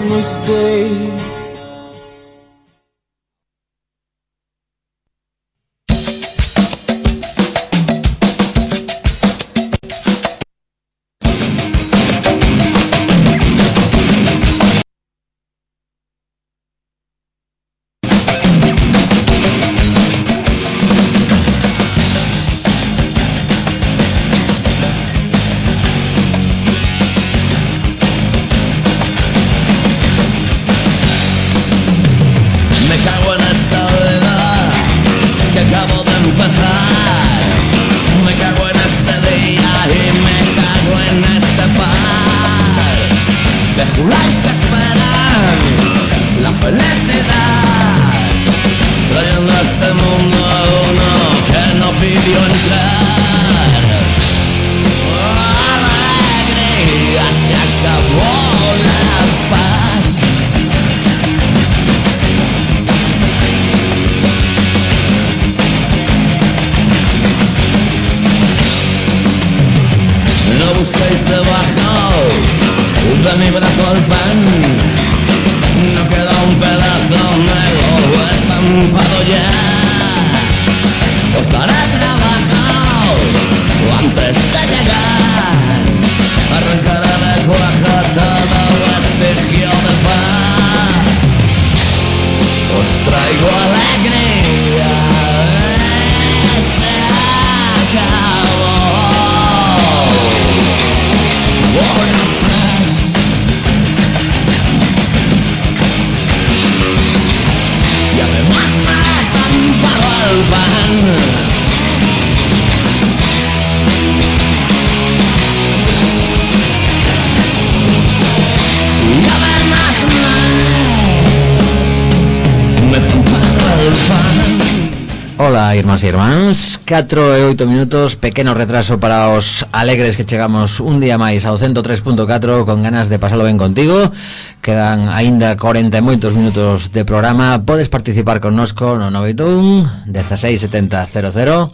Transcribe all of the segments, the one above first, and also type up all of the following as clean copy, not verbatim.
mistake. Ola, irmáns e irmáns, 4 e 8 minutos, pequeno retraso para os alegres que chegamos un día máis ao 103.4 con ganas de pasalo ben contigo. Quedan aínda 40 e moitos minutos de programa. Podes participar connosco no 981 16 70 00,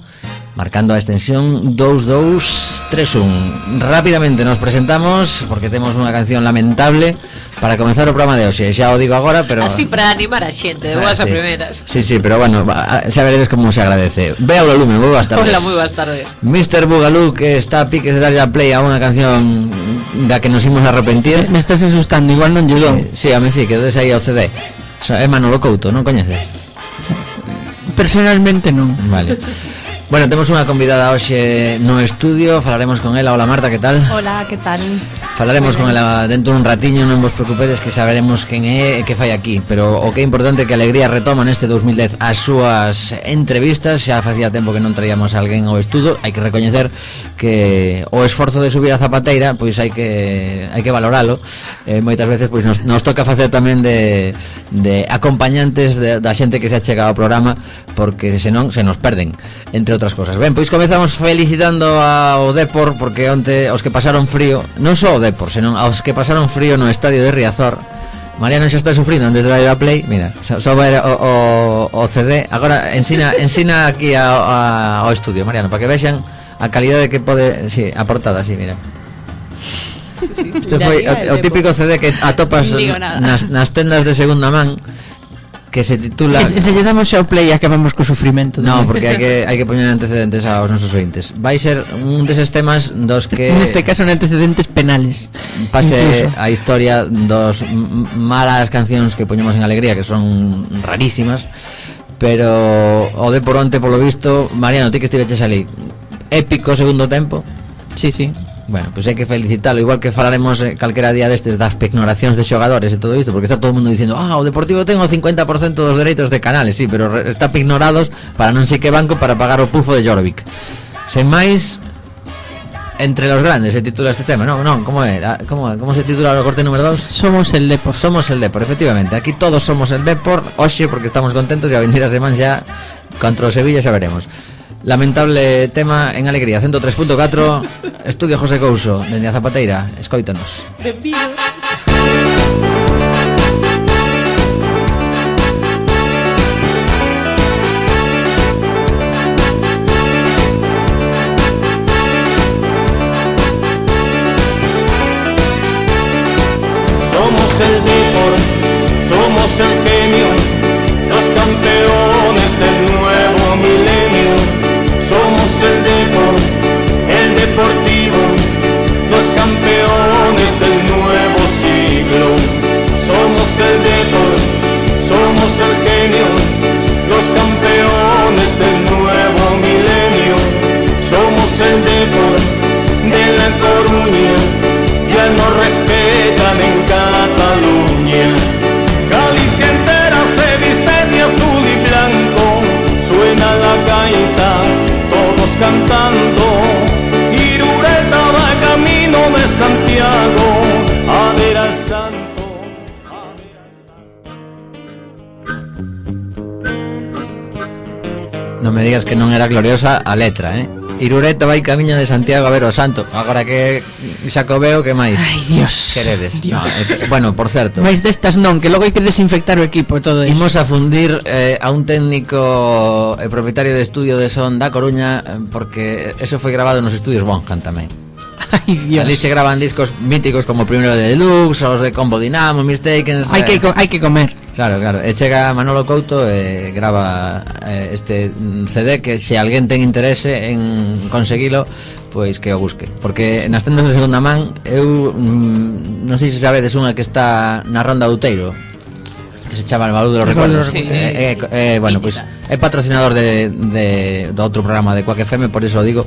marcando a extensión 2231. Rápidamente nos presentamos porque temos unha canción lamentable para comenzar o programa de hoxe. Xa o digo agora, pero así para animar a xente de boas a primeras. Sí, pero bueno, xa veredes como se agradece. Ve ao lume, moi boas tardes. Hola, moi boas tardes. Mr. Bugalú, que está a piques de darlle a play a unha canción da que nos imos arrepentir. Me estás asustando, igual non lle dou. Sí, a mí sí, que des aí ao CD. É Manolo Couto, non coñeces? Personalmente non. Vale. Bueno, temos unha convidada hoxe no estudio. Falaremos con ela. Hola Marta, que tal? Hola, que tal? Falaremos con ela dentro dun ratiño. Non vos preocupedes que saberemos quen é e que fai aquí. Pero o que é importante é que Alegría retoma neste 2010 as súas entrevistas. Xa facía tempo que non traíamos a alguén ao estudo. Hai que recoñecer que o esforzo de subir a zapateira, pois hai que valoralo. Moitas veces pois nos toca facer tamén de acompañantes da xente que se achega ao programa, porque senón se nos perden, entre outras cosas. Ben, pois comezamos felicitando ao Depor, porque onte os que pasaron frío, non só o Depor, senón aos que pasaron frío no estadio de Riazor. Mariano xa está sufrindo antes de dar a play. Mira, só vai o CD. Agora ensina aquí ao estudio, Mariano, para que vexan a calidade que pode, si, a portada, si, mira. Este foi o típico CD que atopas nas tendas de segunda man, que se titula... Se lle damos ao play e acabamos co sufrimento. No, porque hai que poñer antecedentes aos nosos ointes. Vai ser un deses temas dos que... Neste caso, antecedentes penales. Pase incluso a historia dos malas cancións que poñemos en Alegría, que son rarísimas. Pero o de por onte, polo visto, Mariano, ti que estiveches ali, épico segundo tempo. Sí. Bueno, pois hai que felicitalo. Igual que falaremos calquera día destes das pignoracións de xogadores e todo isto, porque está todo o mundo dicindo o Deportivo ten o 50% dos dereitos de canales. Sí, pero está pignorados para non sei que banco para pagar o pufo de Jorvik. Sen máis, entre los grandes se titula este tema. Non, como se titula o corte número 2? Somos el Depor, efectivamente. Aquí todos somos el Depor. Oxe, porque estamos contentos e a venir a semana xa contra o Sevilla xa veremos. Lamentable tema en Alegría 103.4. Estudio José Couso dende a Zapateira. Escóitanos. Somos el Depor Non me digas que non era gloriosa a letra, Irureta vai camiño de Santiago a ver o santo. Agora que Xacobeo, que máis? Ai, Dios. Queredes? Dios. No, bueno, por certo, Mais destas non, que logo hai que desinfectar o equipo e todo iso. imos a fundir a un técnico e propietario de estudio de son da Coruña, porque eso foi grabado nos estudios Bonham tamén. Ai, Dios. Ali se graban discos míticos como o primeiro de Deluxe, os de Combo Dinamo, Mistaken. Hai que comer. Claro, e chega Manolo Couto e grava este CD que se alguén ten interese en conseguilo, pois que o busque, porque nas tendas de segunda man eu non sei se sabedes unha que está na Ronda do Outeiro, que se chama El Balú de los Recuerdos. Sí. Bueno, pois é patrocinador do outro programa de Quack FM, por iso o digo,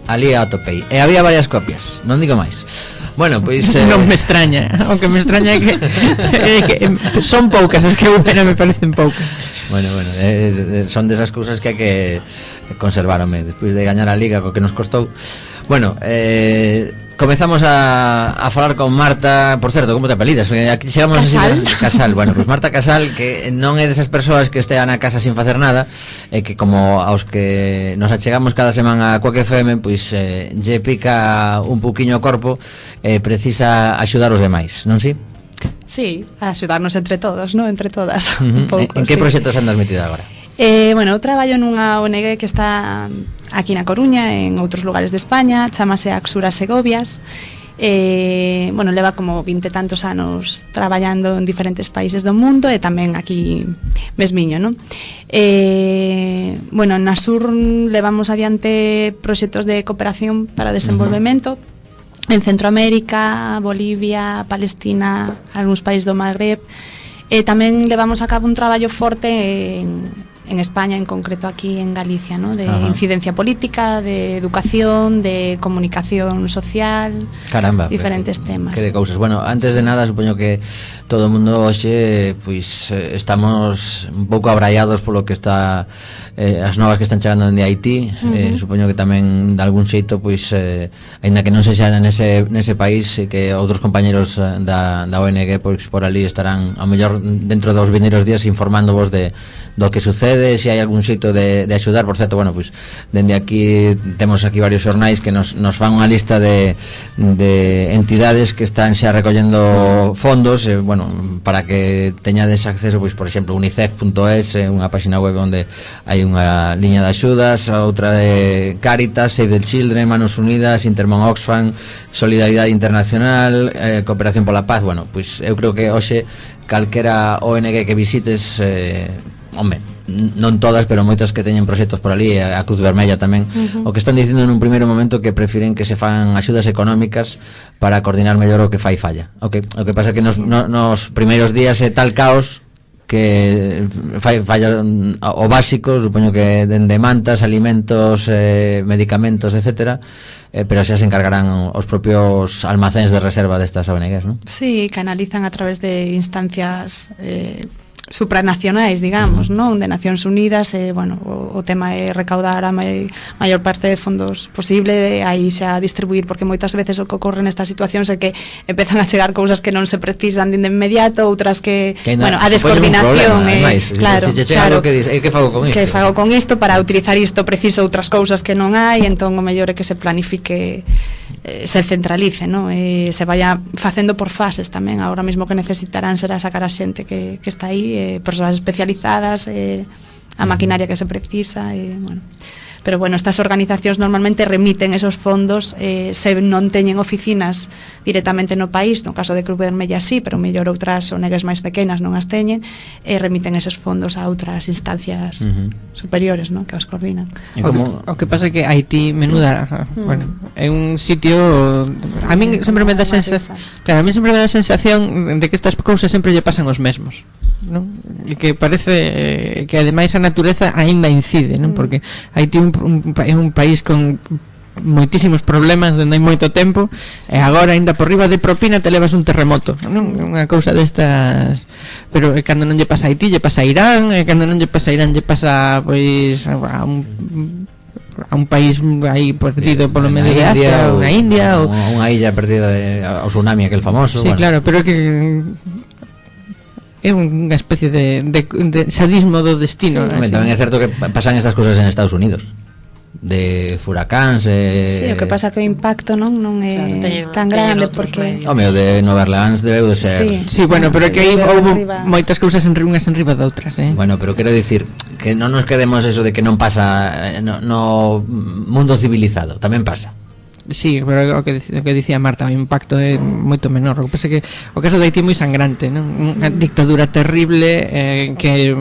ali a atopei. E había varias copias, non digo máis. Bueno, pois Non me extraña, aunque me extraña que son poucas, as que eu me parecen poucas. Bueno, son desas cousas que hai que conservarme despois de gañar a Liga co que nos costou. Bueno, comezamos a falar con Marta. Por certo, como te apelidas? Aquí chegamos Casal. Casal. Bueno, pues Marta Casal, que non é desas persoas que estean na casa sin facer nada, e que como aos que nos achegamos cada semana a Quack FM, pois lle pica un pouquiño o corpo e precisa axudar os demais, non si? Sí, a axudarnos entre todos, ¿no? Entre todas. Uh-huh. Un pouco, En que sí. proxectos andas metida agora? Bueno, eu traballo nunha ONG que está aquí na Coruña, en outros lugares de España, chamase Axura Segovias. Bueno, leva como 20 e tantos anos traballando en diferentes países do mundo e tamén aquí mesmiño, non? Bueno, na Sur levamos adiante proxectos de cooperación para desenvolvemento en Centroamérica, Bolivia, Palestina, algúns países do Magreb. Tamén levamos a cabo un traballo forte en España, en concreto aquí en Galicia, ¿no? De incidencia política, de educación, de comunicación social. Caramba, diferentes temas. Que de cousas. Bueno, antes de nada, supoño que todo o mundo hoxe pois estamos un pouco abraiados polo que está as novas que están chegando dende Haití. Supoño que tamén de algún xeito pois aínda que non se xa nese país, que outros compañeros da ONG pois por ali estarán ao mellor dentro dos vindeiros días informándovos do que sucede, se hai algún xeito de axudar. Por certo, bueno, pois dende aquí temos aquí varios xornais que nos fan unha lista de entidades que están xa recollendo fondos, bueno, para que teñades acceso, pois por exemplo unicef.es, unha página web onde hai unha liña de axudas, outra de Cáritas, Save the Children, Manos Unidas, Intermon Oxfam, Solidaridade Internacional, Cooperación pola Paz. Bueno, pois eu creo que hoxe calquera ONG que visites, home, non todas, pero moitas que teñen proxectos por ali, a Cruz Vermella tamén, o que están dicindo nun primeiro momento que prefiren que se fan axudas económicas para coordinar mellor o que falla. O que pasa que nos primeiros días é tal caos que falla o básico, supoño que dende mantas, alimentos, medicamentos, etcétera, pero xa se encargarán os propios almacéns de reserva destas ONGs, non? Sí, canalizan a través de instancias supranacionais, digamos, non? De Nacións Unidas, bueno, o tema é recaudar a maior parte de fondos posible, aí xa distribuir, porque moitas veces o que ocorre nestas situacións é que empezan a chegar cousas que non se precisan de inmediato, outras que bueno, a descoordinación claro, que fago con isto? Que fago con isto para utilizar isto, preciso outras cousas que non hai, entón o mellor é que se planifique, se centralice, non? Se vaya facendo por fases tamén. Agora mesmo que necesitarán será sacar a xente que está aí, persoas especializadas, a maquinaria que se precisa, bueno. Pero bueno, estas organizacións normalmente remiten esos fondos, se non teñen oficinas directamente no país, no caso de Cruz Vermella sí, pero mellor outras ONGs máis pequenas non as teñen, remiten eses fondos a outras instancias superiores, ¿no? Que os coordinan. O que pasa é que Haití, menuda, bueno, é un sitio, a min sempre me dá sensación, claro, a min sempre me dá sensación de que estas cousas sempre lle pasan os mesmos, non? E que parece que ademais a natureza aínda incide, non? Porque Haití é un país con moitísimos problemas dende hai moito tempo, e agora aínda por riba de propina te levas un terremoto, non? Unha cousa destas. Pero cando non lle pasa a Haití, lle pasa a Irán, e cando non lle pasa a Irán, lle pasa pois a un país aí perdido polo medio de Asia, unha India ou unha illa perdida ao tsunami aquel famoso. Sí, bueno. Claro, pero que é unha especie de sadismo do destino. Sí. Tamén é certo que pasan estas cousas en Estados Unidos, de furacáns sí, o que pasa que o impacto non é claro, tan grande porque o meu de Nova Orleans debeu de ser sí, bueno, pero que aí houve moitas cousas unhas enriba de outras, bueno, pero quero dicir que non nos quedemos eso de que non pasa no mundo civilizado, tamén pasa. Sí, pero o que dicía Marta, o impacto é moito menor. O que pasa que o caso de Haití é moi sangrante, non? Unha dictadura terrible que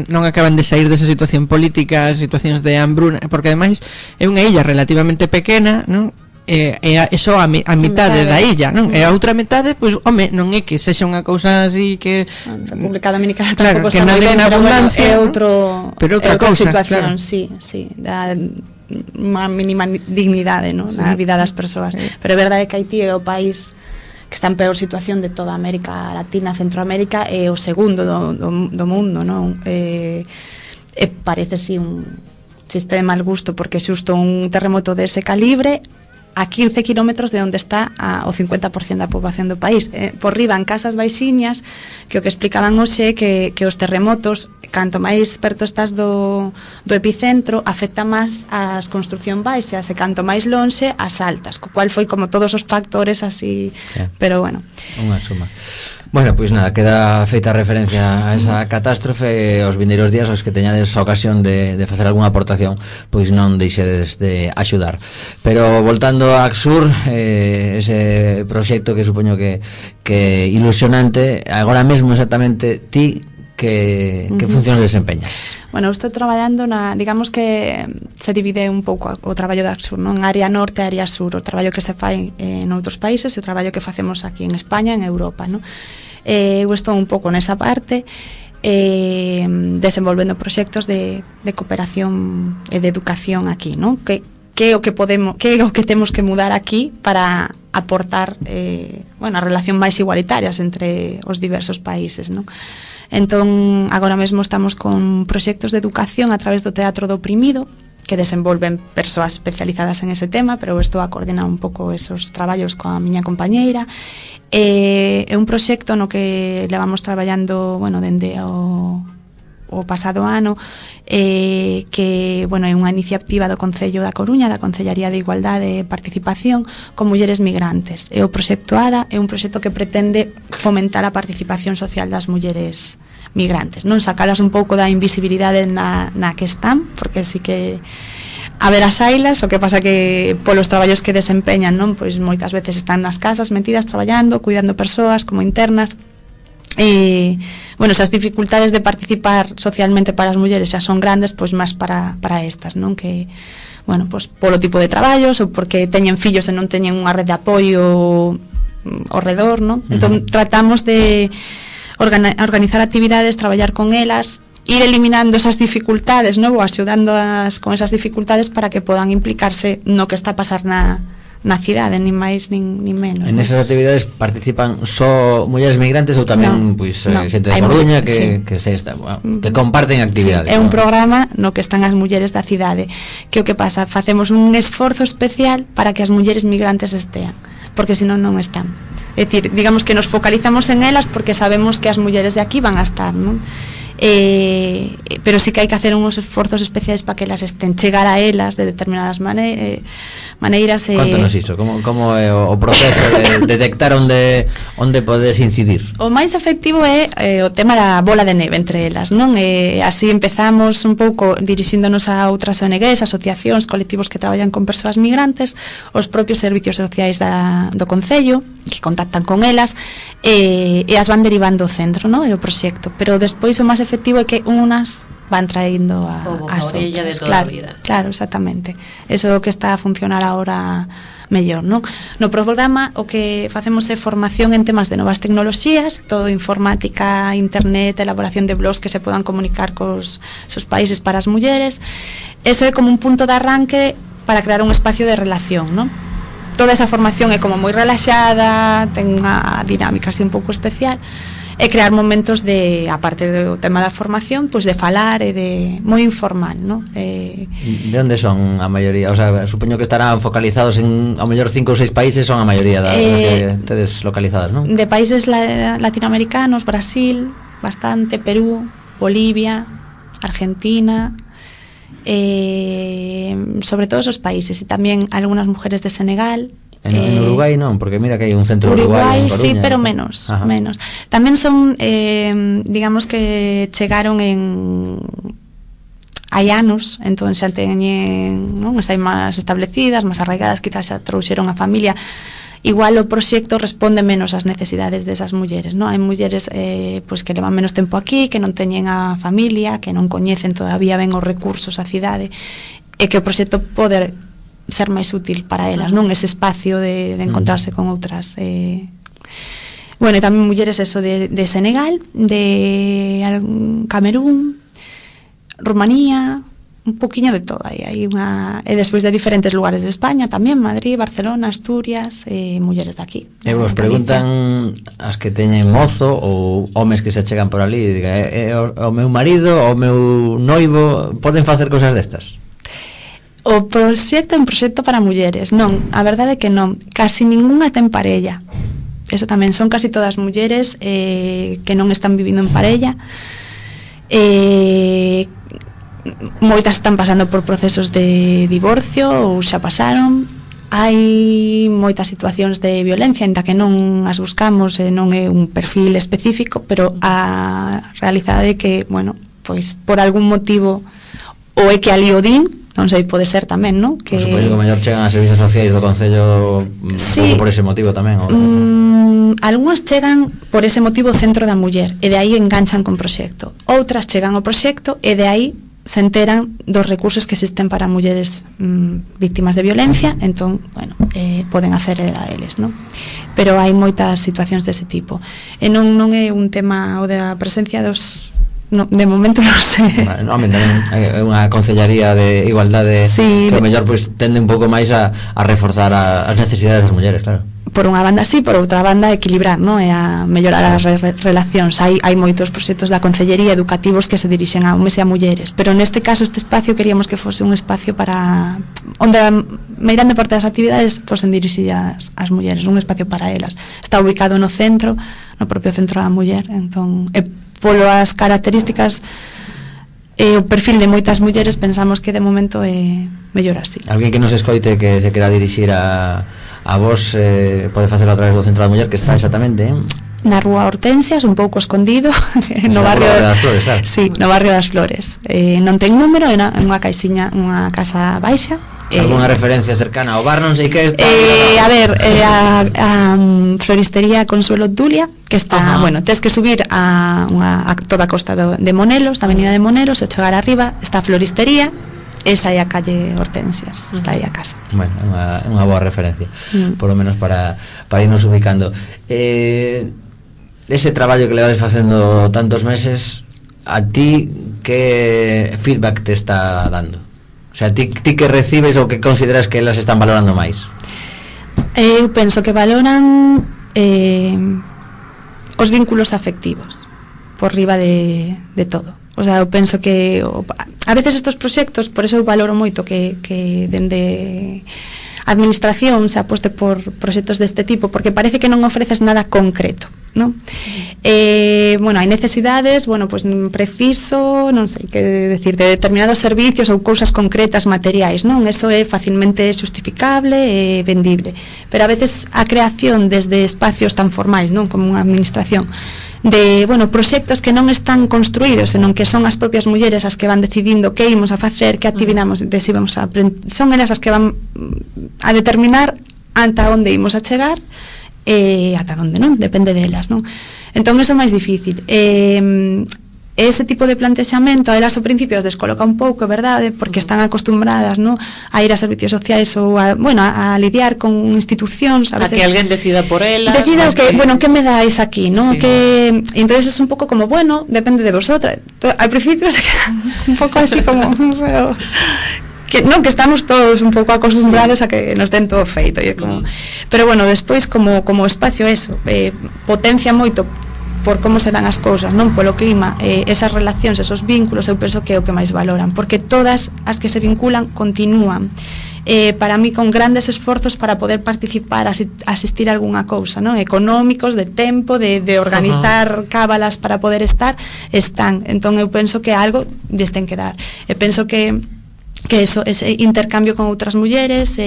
non acaban de sair desa situación política, situacións de hambruna, porque ademais é unha illa relativamente pequena, non? E só a mitade da illa, non? E a outra metade, pois, home, non é que sexa unha cousa así que República Dominicana claro, tampouco que está moi ben, na abundancia, bueno, é outra cousa, situación, claro. sí, da unha mínima dignidade, ¿no? Na vida das persoas. Pero é verdade que Haití é o país que está en peor situación de toda América Latina, Centroamérica, é o segundo do mundo, non? Parece si un chiste de mal gusto, porque xusto un terremoto dese calibre a 15 kilómetros de onde está o 50% da poboación do país. Por riba, en casas baixiñas, que o que explicaban hoxe que os terremotos, canto máis perto estás do epicentro, afecta máis as construcción baixas, e canto máis lonxe, as altas, co cual foi como todos os factores así, sí. Pero bueno. Unha suma. Bueno, pois nada, queda feita referencia a esa catástrofe. Os vindeiros días aos que teñades a ocasión de facer algunha aportación, pois non deixedes de axudar. Pero voltando a Axur, ese proxecto que supoño que ilusionante, agora mesmo exactamente ti que funcións desempeñas? Bueno, estou traballando digamos que se divide un pouco o traballo da Axur, non? Área norte e área sur, o traballo que se fai en outros países e o traballo que facemos aquí en España, en Europa, non? Eu estou un pouco nesa parte, desenvolvendo proxectos de cooperación e de educación aquí, non? Que é o que temos que mudar aquí para aportar a relación máis igualitarias entre os diversos países, non? Entón, agora mesmo estamos con proxectos de educación a través do Teatro do Oprimido, que desenvolven persoas especializadas en ese tema, pero estou a coordinar un pouco esos traballos coa miña compañeira. É un proxecto no que levamos traballando, dende o pasado ano, que, é unha iniciativa do Concello da Coruña, da Concellaría de Igualdade e Participación, con mulleres migrantes. E o proxecto ADA é un proxecto que pretende fomentar a participación social das mulleres migrantes, non sacalas un pouco da invisibilidade na que están, porque sí que a ver as ailas, o que pasa que polos traballos que desempeñan, non, pois moitas veces están nas casas metidas traballando, cuidando persoas como internas. Esas dificultades de participar socialmente para as mulleres xa son grandes, pois máis para estas, non? Que, polo tipo de traballos ou porque teñen fillos e non teñen unha rede de apoio ao redor, non? Entón tratamos de organizar actividades, traballar con elas, ir eliminando esas dificultades, non? Ou axudándoas con esas dificultades para que podan implicarse no que está a pasar na cidade, nin máis nin menos. En esas actividades participan só mulleres migrantes ou tamén xente de Coruña que comparten actividades? Sí, é un programa no que están as mulleres da cidade, que o que pasa, facemos un esforzo especial para que as mulleres migrantes estean, porque senón non están. É dicir, digamos que nos focalizamos en elas porque sabemos que as mulleres de aquí van a estar, non? Pero sí que hai que hacer uns esforzos especiais para que elas estén, chegar a elas de determinadas maneiras. Contanos iso, como é o proceso de detectar onde podes incidir? O máis efectivo é o tema da bola de neve entre elas, non? Así empezamos un pouco dirixíndonos a outras ONGs, asociacións, colectivos que traballan con persoas migrantes, os propios servicios sociais do Concello, que contactan con elas, e as van derivando ao centro, non? E o proxecto, pero despois o máis efectivo é que unas van traendo as outras. De toda a vida. Claro, exactamente. Eso é o que está a funcionar agora mellor, non? No programa o que facemos é formación en temas de novas tecnoloxías, todo informática, internet, elaboración de blogs que se podan comunicar cos seus países para as mulleres. Eso é como un punto de arranque para crear un espacio de relación, non? Toda esa formación é como moi relaxada, ten unha dinámica así un pouco especial, e crear momentos de, aparte do tema da formación, pois de falar e de moi informal, non? De onde son a maioría? O sea, supoño que estarán focalizados en ao mellor 5 ou 6 países, son a maioría que tedes localizadas, non? De países latinoamericanos, Brasil, bastante, Perú, Bolivia, Argentina, sobre todo esos países, y tamén algunhas mujeres de Senegal. En Uruguai non, porque mira que hai un centro Uruguai, uruguayo en Coruña, sí, pero menos. Tamén son, digamos que chegaron hai anos, entón xa teñen, non, xa hai máis establecidas, máis arraigadas, quizás xa trouxeron a familia. Igual o proxecto responde menos ás necesidades desas mulleres, non? Hai mulleres pois que levan menos tempo aquí, que non teñen a familia, que non coñecen todavía ben os recursos a cidade, e que o proxecto pode ser máis útil para elas, non? Ese espacio de encontrarse con outras bueno, e tamén mulleres eso de Senegal, de Camerún, Rumanía, un poquinho de todo aí. Hai unha, e despois de diferentes lugares de España tamén, Madrid, Barcelona, Asturias, mulleres de aquí. E vos preguntan as que teñen mozo ou homes que se chegan por ali, diga, o meu marido, o meu noivo poden facer cousas destas? O proxecto é un proxecto para mulleres. Non, a verdade é que non, casi ningunha ten parella. Eso tamén, son casi todas mulleres que non están vivindo en parella. Moitas están pasando por procesos de divorcio ou xa pasaron. Hai moitas situacións de violencia, ainda que non as buscamos, non é un perfil específico, pero a realidade é que, bueno, pois por algún motivo ou é que ali o din, non sei, pode ser tamén, non? Que supoño que o mellor chegan a servicios sociais do Concello sí, por ese motivo tamén, ou algunhas chegan por ese motivo ao Centro da Muller e de aí enganchan con proxecto. Outras chegan ao proxecto e de aí se enteran dos recursos que existen para mulleres víctimas de violencia, entón, bueno, poden acceder a eles, non? Pero hai moitas situacións dese tipo. E non é un tema o da presencia dos... No, de momento non sei. No, tamén é unha concellaría de igualdade, sí, que o mellor pois tende un pouco máis a reforzar as necesidades das mulleres, claro. Por unha banda sí, por outra banda equilibrar, non? E a mellorar as relacións. Hai moitos proxectos da concellería educativos que se dirixen a homes e a mulleres, pero neste caso este espacio queríamos que fose un espacio para onde a meirande parte das actividades fosen dirixidas ás mulleres, un espacio para elas. Está ubicado no centro, no propio centro da muller, entón, polo as características e o perfil de moitas mulleres pensamos que de momento é mellor así. Alguén que nos escoite que se quera dirixir a vos pode facelo a través do Centro da Muller, que está exactamente na Rúa Hortensias, un pouco escondido no barrio das Flores, claro. Sí, no barrio das Flores. Non ten número, é unha caixiña, unha casa baixa. Alguna referencia cercana ao bar, non sei que está. A ver, a floristería Consuelo Dulia, que está, bueno, tens que subir a toda a costa de Monelos, da avenida de Monelos, e chegar arriba, está a floristería. Esa é a calle Hortensias, está aí a casa. Bueno, é unha boa referencia, por lo menos para irnos ubicando. Ese traballo que levades facendo tantos meses, a ti que feedback te está dando? O sea, ti que recibes ou que consideras que elas están valorando máis? Eu penso que valoran os vínculos afectivos por riba de todo. O sea, eu penso que a veces estos proxectos, por eso eu valoro moito que dende a administración se aposte por proxectos deste tipo, porque parece que non ofreces nada concreto, non? Bueno, hai necesidades, bueno, pues preciso, non sei que decir, de determinados servicios ou cousas concretas, materiais, non? Eso é facilmente justificable e vendible, pero a veces a creación desde espacios tan formais, non? Como unha administración, de, bueno, proxectos que non están construídos, senón que son as propias mulleres as que van decidindo que ímos a facer, que actividades vamos a son elas as que van a determinar ata onde ímos a chegar e ata onde non, depende delas, non? Entón iso é máis difícil. Ese tipo de plantexamento a elas ao principio as descoloca un pouco, verdade, porque están acostumbradas, non, a ir a servicios sociais ou a, bueno, a lidiar con institucións, a veces, que alguén decida por elas, decida que, bueno, que me dais aquí, non? Sí. Que entonces es un pouco como, bueno, depende de vosotras. Al principio se quedan un pouco así como, pero que non, que estamos todos un pouco acostumbrados a que nos den todo feito, e como, pero bueno, despois como espacio eso, potencia moito por como se dan as cousas, non polo clima, esas relacións, esos vínculos, eu penso que é o que máis valoran, porque todas as que se vinculan continúan para mí con grandes esforzos para poder participar, asistir a algunha cousa, non? Económicos, de tempo, de organizar cábalas para poder estar, están. Entón eu penso que algo lles ten que dar. E penso que eso, ese intercambio con outras mulleres,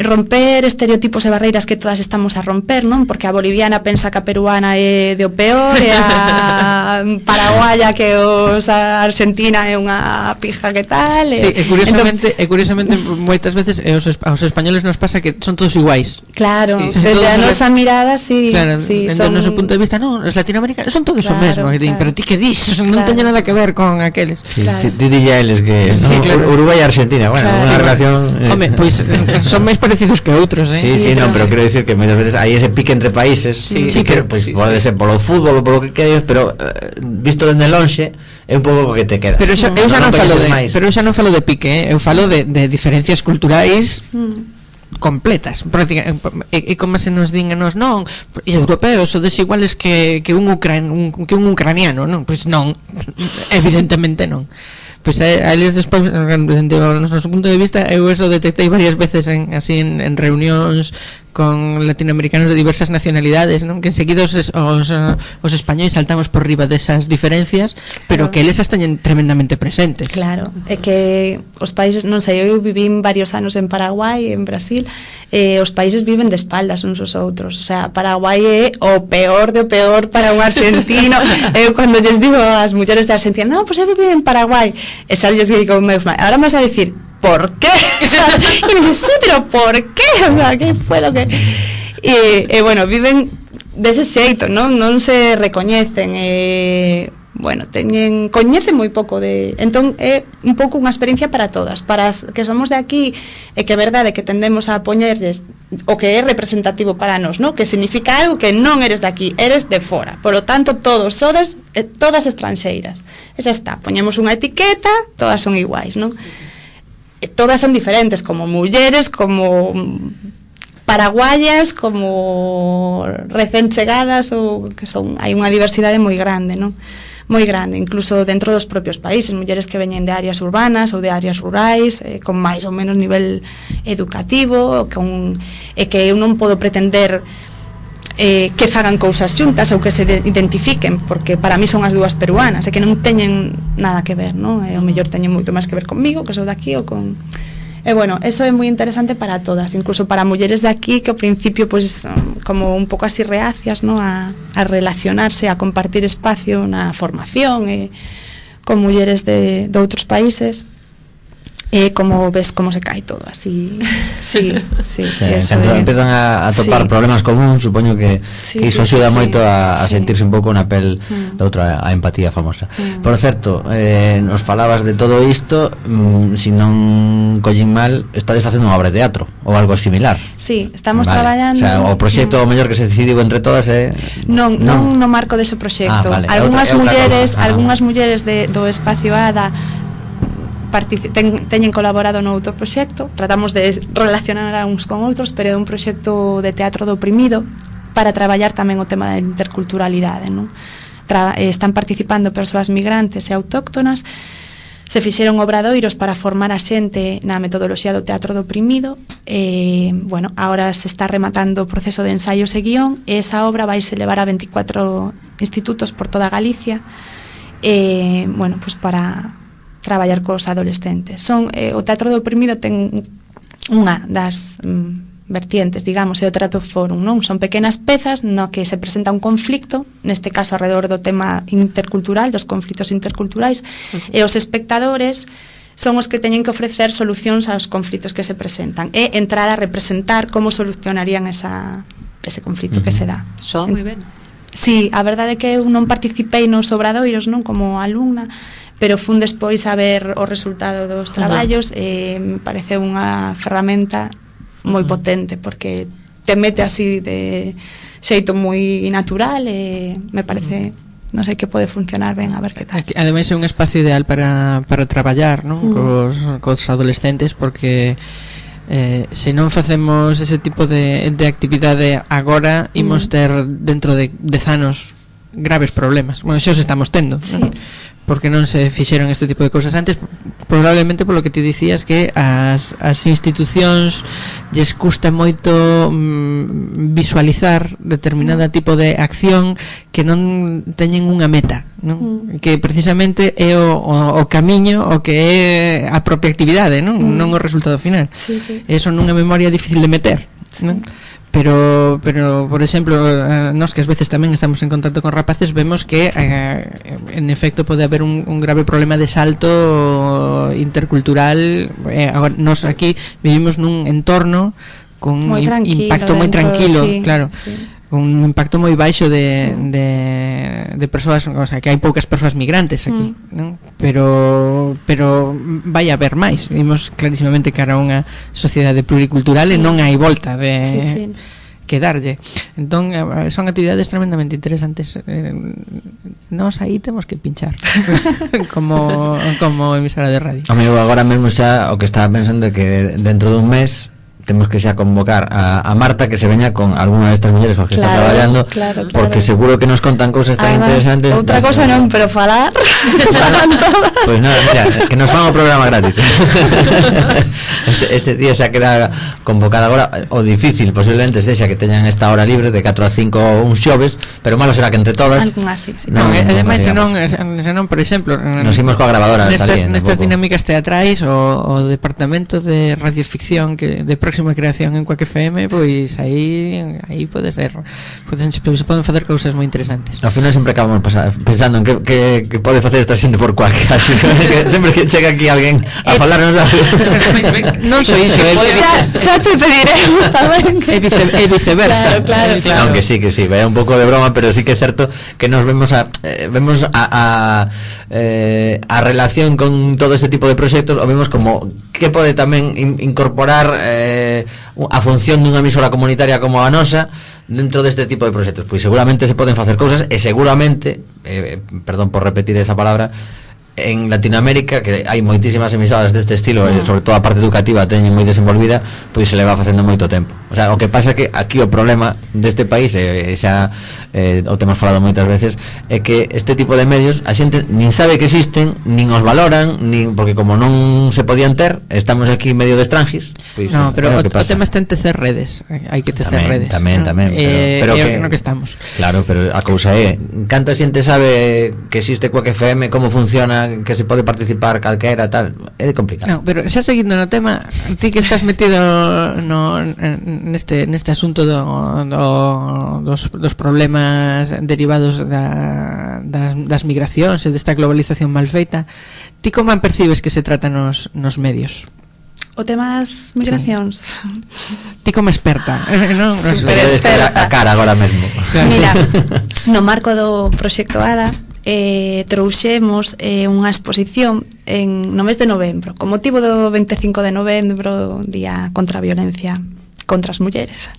romper estereotipos e barreiras que todas estamos a romper, non? Porque a boliviana pensa que a peruana é de o peor, e a paraguaya que a argentina é unha pija que tal, sí, e curiosamente moitas veces aos españoles nos pasa que son todos iguais. Claro, sí, desde a nosa mirada sí, claro, sí, desde o noso punto de vista, non, os latinoamericanos son todos o mesmo, claro. Pero ti que dis, non teño nada que ver con aqueles. Sí, claro. Ti dille a eles que sí, claro. Uruguai e Argentina, bueno, claro, unha relación home, pois son máis parecidos que outros, Sí, non, pero quero dicir que moitas veces hai ese pique entre países, sí, que pois pode ser polo fútbol ou polo que queres, pero visto dende lonxe é un pouco o que te queda. Pero eu xa non falo de pique, eu falo de diferencias culturais completas, e como se nos din a nos, non, e europeos son desiguales que un ucraniano, non? Pois non, evidentemente non. Pois a eles despois, dentro do noso punto de vista, eu eso detectei varias veces en reunións con latinoamericanos de diversas nacionalidades, non? Que enseguida os españois saltamos por riba desas diferencias, pero que eles as teñen tremendamente presentes. Claro, é que os países, non sei, eu vivín varios anos en Paraguai, en Brasil, os países viven de espaldas uns aos outros, o sea, Paraguai é o peor do peor para un argentino. Eu cando lles digo ás mulleres de Argentina, non, pois eu viví en Paraguai, e xa lles digo, ahora me vas a decir, ¿por qué? Y me dice, sí, pero ¿por qué? O sea, ¿qué fue lo que...? E bueno, viven dese xeito, non se recoñecen, bueno, coñecen moi pouco de... Entón é un pouco unha experiencia para todas, para as que somos de aquí, e que é verdade que tendemos a poñerles o que é representativo para nós, non? Que significa algo que non eres de aquí, eres de fora. Por lo tanto, todos sodes, todas estranxeiras. Esa está, poñemos unha etiqueta, todas son iguais, non? Todas son diferentes, como mulleres, como paraguayas, como recén chegadas, ou que son, hai unha diversidade moi grande, non? Moi grande, incluso dentro dos propios países, mulleres que veñen de áreas urbanas ou de áreas rurais, con máis ou menos nivel educativo, e que eu non podo pretender que fagan cousas xuntas ou que se identifiquen, porque para mí son as dúas peruanas e que non teñen nada que ver, non? E o mellor teñen moito máis que ver comigo, que sou daqui, ou con... E bueno, eso é moi interesante para todas, incluso para mulleres de aquí que ao principio pois como un pouco así reacias, non? A relacionarse, a compartir espacio na formación con mulleres de outros países. Como ves como se cae todo así. Sí. Cando empezan a topar problemas comuns, supoño que iso axuda moito a sentirse un pouco na pel da outra, a empatía famosa. Por certo, nos falabas de todo isto, se non collín mal, estades facendo unha obra de teatro ou algo similar. Sí, estamos traballando. O sea, o proxecto mellor que se decidiu entre todas non no marco dese proxecto. Algunhas mulleres do Espacio ADA teñen colaborado no outro proxecto, tratamos de relacionar a uns con outros, pero é un proxecto de teatro do oprimido para traballar tamén o tema da interculturalidade, non? Están participando persoas migrantes e autóctonas, se fixeron obradoiros para formar a xente na metodoloxía do teatro do oprimido, bueno, agora se está rematando o proceso de ensaios e guión, e esa obra vaise levar a 24 institutos por toda Galicia, bueno, pues para traballar cos adolescentes. O teatro do oprimido ten unha das vertientes, digamos, é o teatro fórum, non? Son pequenas pezas no que se presenta un conflicto, neste caso alrededor do tema intercultural, dos conflitos interculturais, e os espectadores son os que teñen que ofrecer solucións aos conflitos que se presentan e entrar a representar como solucionarían ese conflito que se dá. Son moi ben. Sí, a verdade é que eu non participei nos obradoiros, non, como alumna, pero fun despois a ver o resultado dos traballos e me parece unha ferramenta moi potente, porque te mete así de xeito moi natural e me parece, non sei, que pode funcionar ben, a ver que tal. Ademais é un espacio ideal para traballar, non? Cos adolescentes, porque se non facemos ese tipo de actividade agora, imos ter dentro de 10 anos graves problemas. Bueno, xa os estamos tendo, sí. ¿No? porque non se fixeron este tipo de cousas antes, probablemente polo que te dicías que as institucións lles custa moito visualizar determinada tipo de acción que non teñen unha meta, non? Que precisamente é o camiño o que é a propia actividade, non o resultado final. Eso nunha memoria difícil de meter, non? Pero por exemplo, nós que ás veces tamén estamos en contacto con rapaces, vemos que en efecto pode haber un grave problema de salto intercultural. Agora, nós aquí vivimos nun entorno con un impacto moi tranquilo, claro, con un impacto moi baixo de persoas, o sea, que hai poucas persoas migrantes aquí, non? Pero vai haber máis. Vimos clarísimamente cara a unha sociedade pluricultural e non hai volta de que darlle. Entón son actividades tremendamente interesantes. Nós aí temos que pinchar como emisora de radio. Amigo, agora mesmo xa o que estaba pensando é que dentro dun mes temos que xa convocar a Marta que se veña con alguna de estas mulleres porque está traballando, porque seguro que nos contan cousas tan interesantes. Outra cosa non, pero falar pues nada, mira, que nos fan o programa gratis. ese día xa queda convocada. Agora o difícil posiblemente sexa que teñan esta hora libre de 4 a 5 uns xoves, pero malo será que entre todas ademais senón, por exemplo, nos imos coa grabadora nestas dinámicas teatrais o departamento de radioficción que de próxima creación en Quack FM, pois aí pode ser, se poden facer cousas moi interesantes. Ao final sempre acabamos pensando en que pode facer esta xente por Quack, así que sempre que chega aquí alguén a falarnos non só iso, xa te pediremos tamén e viceversa. Claro. Aunque sí, é un pouco de broma, pero sí que é certo que nos vemos a relación con todo este tipo de proxectos, o vemos como que pode tamén incorporar a función dunha emisora comunitaria como a nosa dentro deste tipo de proxectos. Pois seguramente se poden facer cousas e seguramente, perdón por repetir esa palabra, en Latinoamérica, que hai moitísimas emisoras deste estilo, e sobre todo a parte educativa teñen moi desenvolvida, pois se le va facendo moito tempo. O sea, o que pasa é que aquí o problema deste país, xa o temos falado moitas veces, é que este tipo de medios a xente nin sabe que existen, nin os valoran, nin porque como non se podían ter, estamos aquí medio de estranjis. Pois no, pero o tema está en tecer redes, hai que tecer redes. Tamén, pero que no que estamos. Claro, pero a cousa é, canta xente sabe que existe Quack FM, como funciona, que se pode participar calquera, tal, é complicado. No, pero xa seguindo no tema, ti que estás metido neste asunto dos problemas derivados das migracións e desta globalización mal feita, ti como percibes que se trata nos medios? O tema das migracións. Ti como experta, non? Super experta. A cara agora mesmo. Mira, no marco do proxecto ADA trouxemos unha exposición no mes de novembro, con motivo do 25 de novembro, Día contra a Violencia contra as mulleres.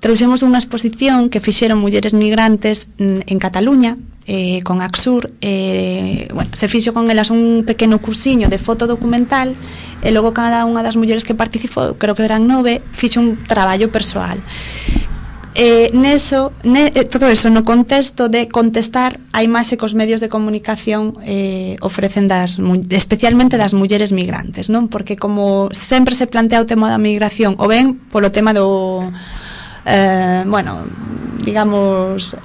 Trouxemos unha exposición que fixeron mulleres migrantes en Cataluña, con Axur. Se fixo con elas un pequeno cursiño de foto documental, e logo cada unha das mulleres que participou, creo que eran 9, fixo un traballo persoal. Todo eso no contexto de contestar a imaxe que os medios de comunicación ofrecen especialmente das mulleres migrantes, non? Porque como sempre se plantea o tema da migración, o ben polo tema do digamos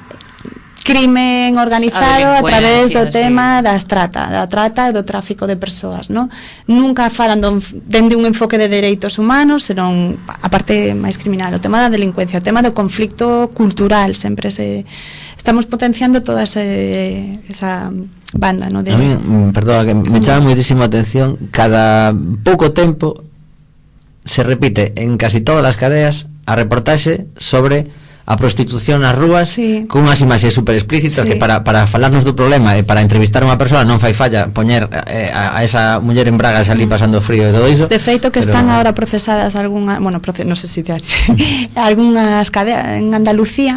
crimen organizado a través do tema da trata e do tráfico de persoas, non? Nunca falan dende un enfoque de dereitos humanos, senón a parte máis criminal, o tema da delincuencia, o tema do conflicto cultural, sempre estamos potenciando toda esa banda, non? A mí, perdón, que me chama moitísimo a atención, cada pouco tempo se repite en casi todas as cadeas a reportaxe sobre a prostitución nas rúas, con unhas imaxes super explícitas, que para falarnos do problema e para entrevistar a unha persoa non fai falla poñer a esa muller en bragas ali pasando frío e todo iso. De feito que están agora procesadas algunhas, non sei se algunhas cadeas en Andalucía,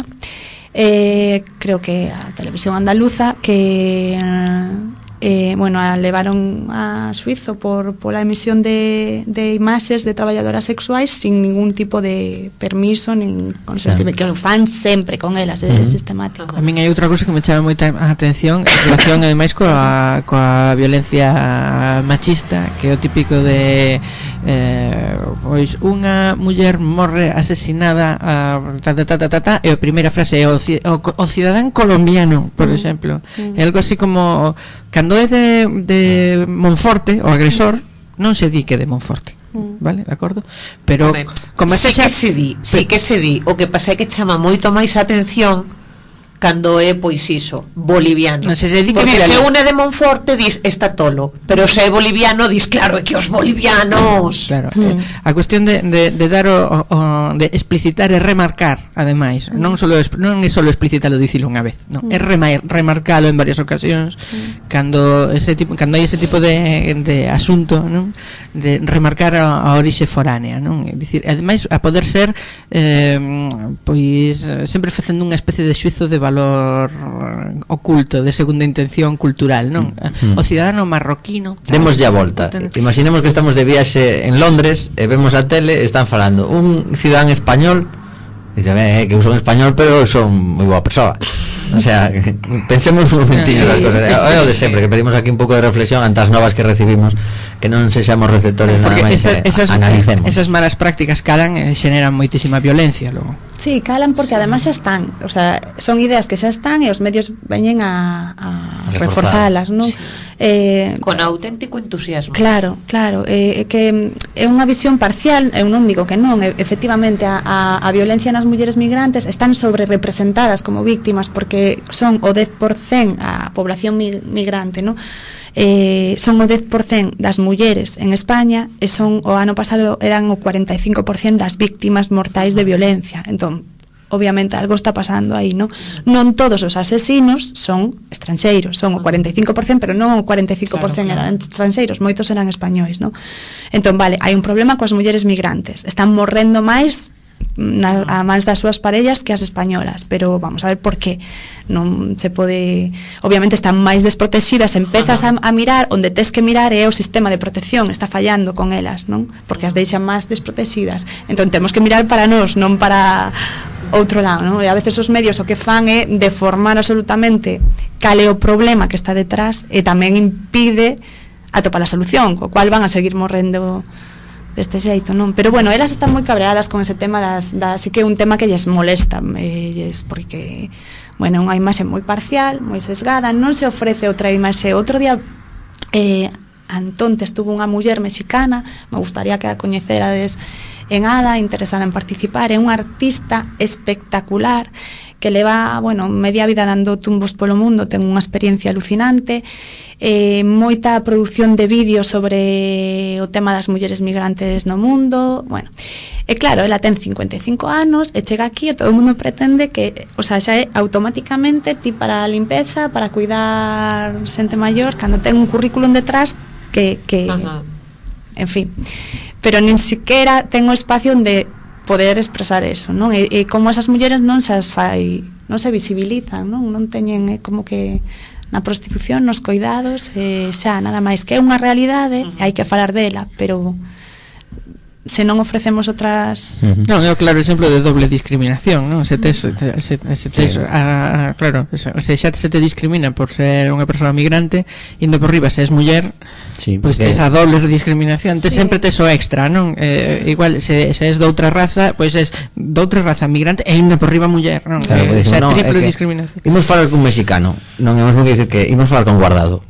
creo que a televisión andaluza, que bueno, a levaron a xuizo pola emisión de imaxes de traballadoras sexuais sin ningún tipo de permiso nin consentimento, que o fan sempre con elas, é sistemático. A min hai outra cousa que me chama moita atención en relación ademais coa violencia machista, que é o típico de pois unha muller morre asesinada e a primeira frase é o cidadán colombiano, por exemplo. É algo así como cando é de Monforte, o agresor non se di que é de Monforte, vale, de acordo? Pero como sí que se di, o que pasa é que chama moito máis atención cando é, pois iso, boliviano. Non se di que porque se une de Monforte dis está tolo, pero se é boliviano dis claro, é que os bolivianos. Claro, a cuestión de dar de explicitar e remarcar, ademais, non é solo explicitalo, dicilo unha vez, non, é remarcalo en varias ocasións cando hai ese tipo de asunto, non? De remarcar a orixe foránea, non? É dicir, ademais a poder ser pois sempre facendo unha especie de xuizo de valor oculto, de segunda intención cultural, non? O cidadano marroquino. Demos ya volta. Imaginemos que estamos de viaxe en Londres e vemos a tele, están falando un cidadán español, dice, que eu son español, pero son moi boa persoa. O sea, pensemos un momentinho das cosas. É o de sempre, que pedimos aquí un pouco de reflexión ante as novas que recibimos, que non sexamos receptores nada máis, analicemos. Esas malas prácticas calan e xeneran moitísima violencia logo. Sí, calan porque además xa están, o sea, son ideas que xa están e os medios veñen a reforzalas, non? Sí. Con auténtico entusiasmo. Claro, que é unha visión parcial, eu non digo que non, efectivamente a violencia nas mulleres migrantes están sobre representadas como víctimas porque son o 10% a población migrante, non? Son o 10% das mulleres en España e son o ano pasado eran o 45% das víctimas mortais de violencia. Entón, obviamente algo está pasando aí, non? Non todos os asesinos son estranxeiros, son o 45%, pero non o 45% claro. Eran estranxeiros, moitos eran españois, non? Entón, vale, hai un problema coas mulleres migrantes, están morrendo máis a mans das súas parellas que as españolas, pero vamos a ver por qué non se pode, obviamente están máis desprotegidas, empezas a mirar onde tes que mirar é o sistema de protección está fallando con elas, non? Porque as deixan máis desprotegidas, entón temos que mirar para nós, non para outro lado, non? E a veces os medios o que fan é deformar absolutamente cal é o problema que está detrás e tamén impide atopar a solución, co cual van a seguir morrendo deste xeito, non? Pero bueno, elas están moi cabreadas con ese tema así que é un tema que lles molesta, porque bueno, unha imaxe moi parcial, moi sesgada, non se ofrece outra imaxe. Outro día Antón estuvo unha muller mexicana, me gustaría que a coñecerades en ADA, interesada en participar, é unha artista espectacular que leva, bueno, media vida dando tumbos polo mundo, ten unha experiencia alucinante, moita produción de vídeos sobre o tema das mulleres migrantes no mundo, bueno, e claro, ela ten 55 anos e chega aquí e todo o mundo pretende que, o sea, xa é automáticamente ti para a limpeza, para cuidar xente maior, cando ten un currículum detrás que en fin, pero nin siquiera ten o espacio onde poder expresar eso, non? E como esas mulleres non se visibilizan, non teñen como que na prostitución, nos coidados, xa nada máis que é unha realidade, hai que falar dela, pero se non ofrecemos outras... Non, é o claro exemplo de doble discriminación, non? Se xa se te discrimina por ser unha persoa migrante, indo por riba se és muller, sí, pois tes a doble discriminación, tes sempre tes o extra, non? Igual se és doutra raza, pois és doutra raza migrante e indo por riba muller, non? Claro, Xa triple discriminación. Imos falar cun mexicano, non é mesmo que dicir que imos falar con Guardado,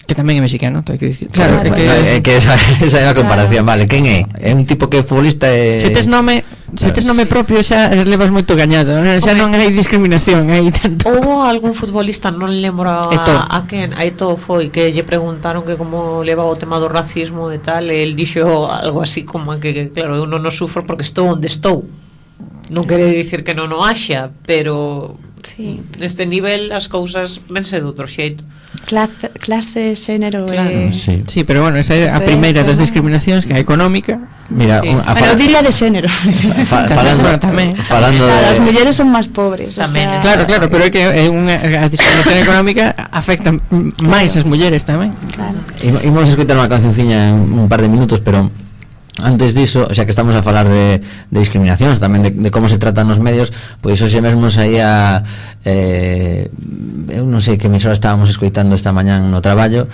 que tamén é mexicano, hai que dicir. Claro, que esa é a comparación, vale. Quen é? É un tipo que é futbolista e... Se tes nome propio xa levas moito gañado, xa non hai discriminación, hai tanto. Houbo algún futbolista, non lembro a quen, aí todo foi que lle preguntaron que como levaba o tema do racismo e tal, e el dixo algo así como que claro, eu non o sufro porque estou onde estou. Non quere dicir que non o haxa, pero Sí. neste nivel as cousas vense de outro xeito. Clase, xénero Claro, Sí. Sí, pero bueno, esa é a primeira das discriminacións, que é a económica. Mira, Sí. Pero diría de xénero. falando Bueno, tamén. falando Claro, as de mulleres son máis pobres. Tamén, Claro, pero é que a discriminación económica afecta máis as mulleres tamén. Claro. Imos escoitar unha cancionciña en un par de minutos, pero antes diso, xa que estamos a falar de discriminacións, tamén de como se tratan nos medios, pois hoxe mesmo saía eu non sei que emisora estábamos escoitando esta mañán no traballo,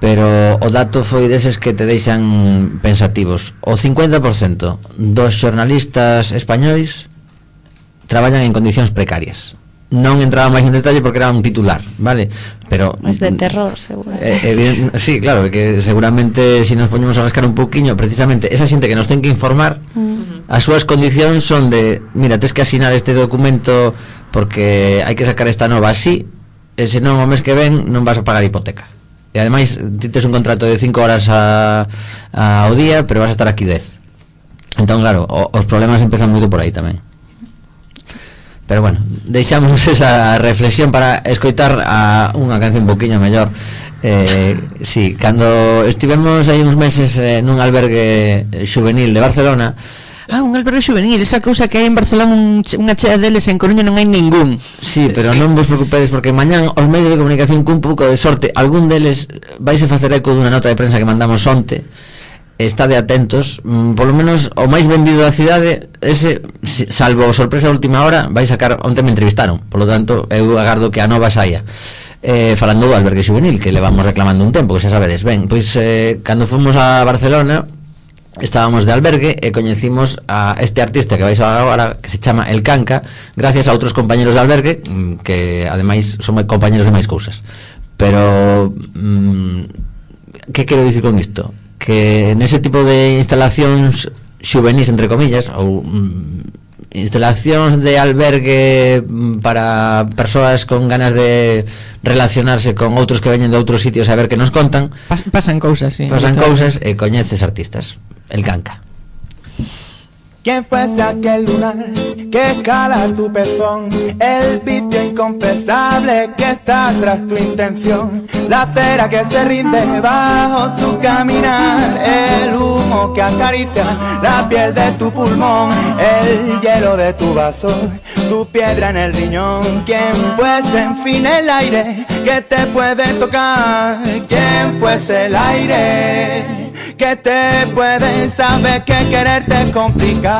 pero o dato foi deses que te deixan pensativos. O 50% dos xornalistas españois traballan en condicións precarias. Non entraba máis en detalle porque era un titular, vale? Pero Es de terror, seguro. sí, claro, que seguramente si nos poñemos a rascar un pouquiño, precisamente esa xente que nos ten que informar, as súas condicións son de, mira, tes que asinar este documento porque hai que sacar esta nova así, e senón o mes que ven non vas a pagar hipoteca. E ademais ti tes un contrato de 5 horas ao día, pero vas a estar aquí 10. Entón, claro, os problemas empezan moito por aí tamén. Pero bueno, deixamos esa reflexión para escoitar a unha canción un poquinho mellor. Sí, cando estivemos aí uns meses nun albergue juvenil de Barcelona. Un albergue juvenil, esa cousa que hai en Barcelona unha chea deles, en Coruña non hai ningún. Sí, pero non vos preocupedes porque mañán os medios de comunicación cun pouco de sorte, algún deles vais a facer eco dunha nota de prensa que mandamos onte. Estade atentos, polo menos o máis vendido da cidade, ese, salvo sorpresa a última hora, vai sacar, onte me entrevistaron, polo tanto eu agardo que a nova saia. Falando do albergue juvenil, que levamos reclamando un tempo, que xa sabedes ben, pois cando fomos a Barcelona estábamos de albergue e coñecimos a este artista que vais a agora, que se chama El Canca, gracias a outros compañeros de albergue que ademais son compañeros de máis cousas. Pero que quero dicir con isto? Que nese tipo de instalacións xuvenis, entre comillas, ou instalacións de albergue para persoas con ganas de relacionarse con outros que veñen de outros sitios a ver que nos contan, Pasan cousas, sí. pasan cousas e coñeces artistas. El Canca. ¿Quién fuese aquel lunar que escala tu pezón? El vicio inconfesable que está tras tu intención. La cera que se rinde bajo tu caminar. El humo que acaricia la piel de tu pulmón. El hielo de tu vaso, tu piedra en el riñón. ¿Quién fuese en fin el aire que te puede tocar? ¿Quién fuese el aire que te puede saber que quererte es complicado?